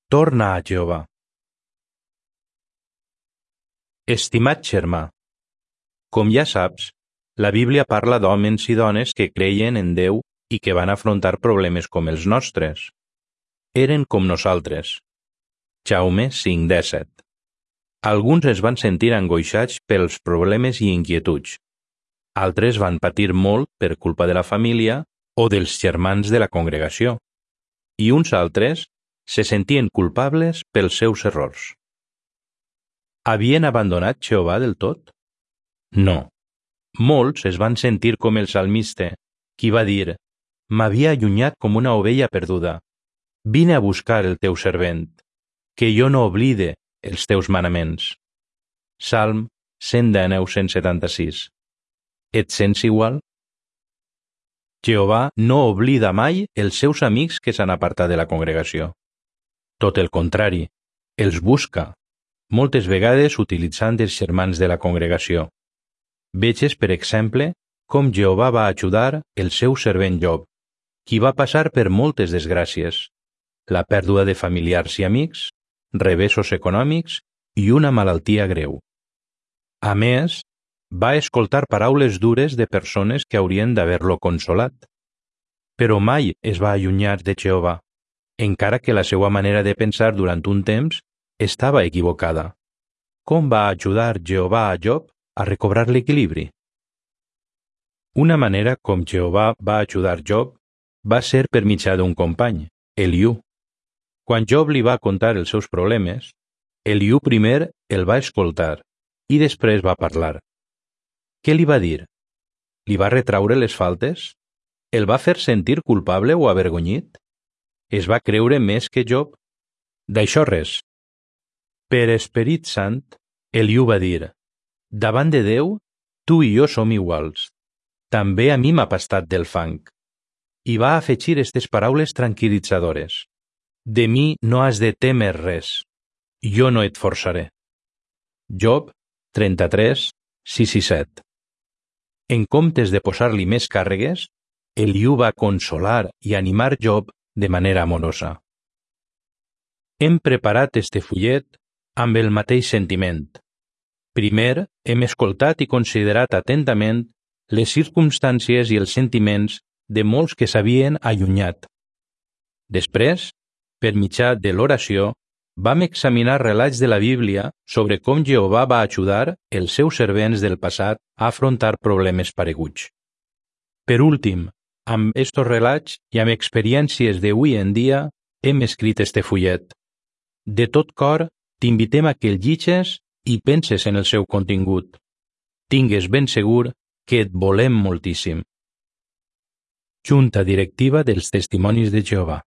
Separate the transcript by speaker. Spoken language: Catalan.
Speaker 1: Torna a Jehovà. Estimat germà, com ja saps, la Bíblia parla d'homes i dones que creien en Déu i que van afrontar problemes com els nostres. Eren com nosaltres. Jaume 5:17. Alguns es van sentir angoixats pels problemes i inquietuds. Altres van patir molt per culpa de la família o dels germans de la congregació. I uns altres se sentien culpables pels seus errors. Havien abandonat Jehovà del tot? No. Molts es van sentir com el salmista, qui va dir: «M'havia allunyat com una ovella perduda. Vine a buscar el teu servent, que jo no oblide els teus manaments». Salm 119:176. Et sents igual? Jehovà no oblida mai els seus amics que s'han apartat de la congregació. Tot el contrari, els busca, moltes vegades utilitzant els germans de la congregació. Veges, per exemple, com Jehovà va ajudar el seu servent Job, qui va passar per moltes desgràcies, la pèrdua de familiars i amics, revessos econòmics i una malaltia greu. A més, va escoltar paraules dures de persones que haurien d'haver-lo consolat. Però mai es va allunyar de Jehovà, encara que la seva manera de pensar durant un temps estava equivocada. Com va ajudar Jehovà a Job a recobrar l'equilibri? Una manera com Jehovà va ajudar Job va ser per mitjà d'un company, Eliú. Quan Job li va contar els seus problemes, Eliú primer el va escoltar i després va parlar. Què li va dir? Li va retraure les faltes? El va fer sentir culpable o avergonyit? Es va creure més que Job? D'això res. Per Esperit Sant, Eliú va dir: «Davant de Déu, tu i jo som iguals. També a mi m'ha pastat del fang». I va afegir aquestes paraules tranquil·litzadores: «De mi no has de témer res. Jo no et forçaré». Job 33, 6 i 7. En comptes de posar-li més càrregues, Eliú va consolar i animar Job de manera amorosa. Hem preparat este fullet amb el mateix sentiment. Primer, hem escoltat i considerat atentament les circumstàncies i els sentiments de molts que s'havien allunyat. Després, per mitjà de l'oració, vam examinar relats de la Bíblia sobre com Jehovà va ajudar els seus servents del passat a afrontar problemes pareguts. Per últim, amb estos relats i amb experiències d'avui en dia, hem escrit este fullet. De tot cor, t'invitem a que el llegis i penses en el seu contingut. Tingues ben segur que et volem moltíssim. Junta Directiva dels Testimonis de Jehovà.